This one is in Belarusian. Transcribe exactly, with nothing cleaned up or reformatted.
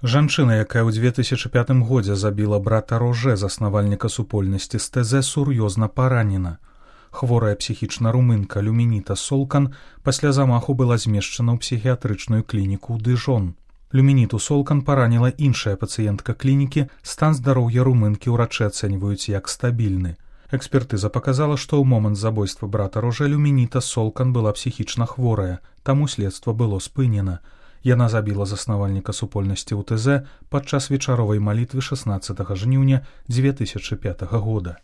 Жанчына, якая ў две тысячы пятым годзе забіла брата Роже, заснавальніка супольнасці эс тэ зэ, сур'ёзна паранена. Хворая псіхічна румынка Люмініта Солкан пасля замаху была змешчана ў псіхіятрычную клініку ў Дыжон. Люмініту Солкан параніла іншая пацыентка клінікі, стан здароўя румынкі ўрачы ацэньваюць як стабільны. Экспертыза паказала, што ў момант забойства брата Роже Люмініта Солкан была псіхічна хворая, таму следства было спынена. Яна забіла заснавальніка супольнасці у тэ зэ падчас вечаровай малітвы шаснаццатага жніўня дзве тысячы пятага года.